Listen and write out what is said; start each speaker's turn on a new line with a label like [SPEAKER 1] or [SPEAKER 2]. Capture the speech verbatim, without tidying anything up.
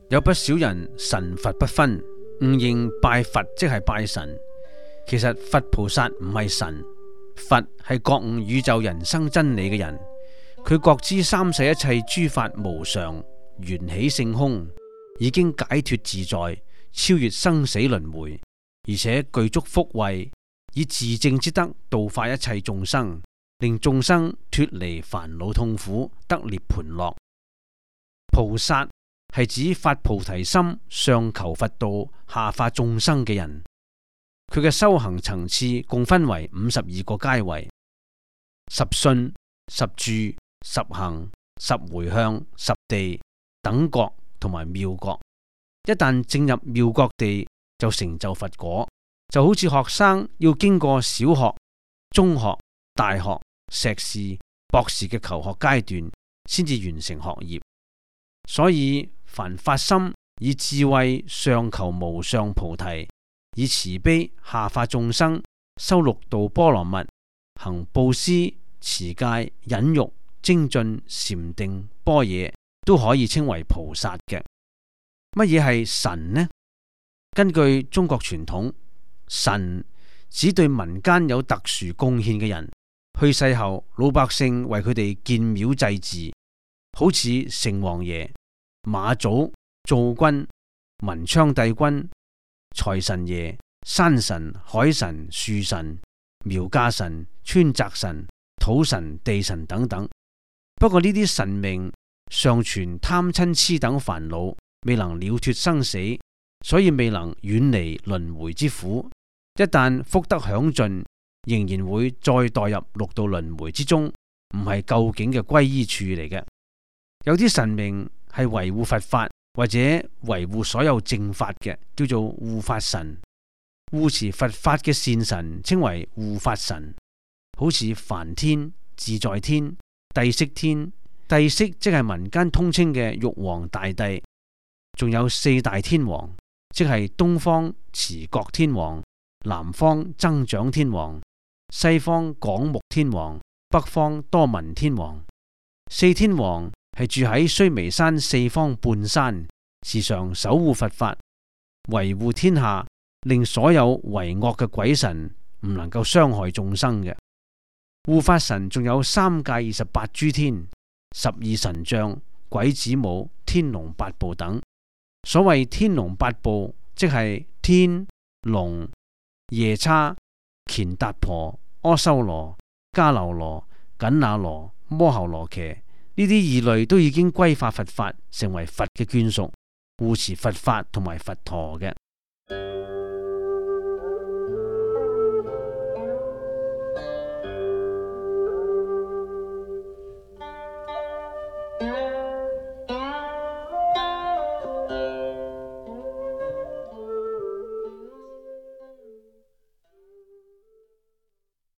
[SPEAKER 1] 有不少人神佛不分，誤認拜佛即係拜神。其實佛菩薩唔係神，佛係覺悟宇宙人生真理嘅人。佢覺知三世一切諸法無常，緣起性空，已經解脫自在，超越生死輪迴，而且具足福慧，以自證之德度化一切眾生，令眾生脫離煩惱痛苦，得涅槃樂。菩薩係指發菩提心，上求佛道，下化眾生嘅人。佢嘅修行層次共分為五十二個階位：十信、十住、十行、十回向、十地、等覺同埋妙覺。一旦證入妙覺地，就成就佛果。就好似學生要經過小學、中學、大學、碩士、博士嘅求學階段，先至完成學業。所以凡發心以智慧上求無上菩提，以慈悲下化眾生，修六度波羅蜜，行布施、持戒、忍辱、精進、禪定、般若，都可以稱為菩薩嘅。乜嘢係神呢？根據中國傳統，神指對民間有特殊貢獻嘅人，去世後老百姓為佢哋建廟祭祀，好似城隍爺、馬祖、灶君、文昌帝君、財神爺、山神、海神、樹神、苗家神、川澤神、土神、地神等等。不過呢啲神明尚存貪嗔癡等煩惱，未能了脫生死，所以未能遠離輪迴之苦。一旦福德享盡，仍然會再墮入六道輪迴之中，唔係究竟嘅歸依處嚟嘅。有啲神明係維護佛法或者維護所有正法嘅，叫做護法神。護持佛法嘅善神稱為護法神，好似梵天、自在天、帝釋天。帝釋即係民間通稱嘅玉皇大帝，仲有四大天王，即係東方持國天王、南方增長天王、西方廣目天王、北方多聞天王。四天王係住喺須彌山四方半山，時常守護佛法，維護天下，令所有為惡嘅鬼神唔能夠傷害眾生嘅。護法神仲有三界二十八諸天、十二神將、鬼子母、天龍八部等。所謂天龍八部，即係天、龍、夜叉、乾達婆、阿修羅、迦樓羅、緊那羅、摩睺羅伽，呢啲異類都已經歸化佛法，成為佛嘅眷屬，護持佛法同埋佛陀嘅。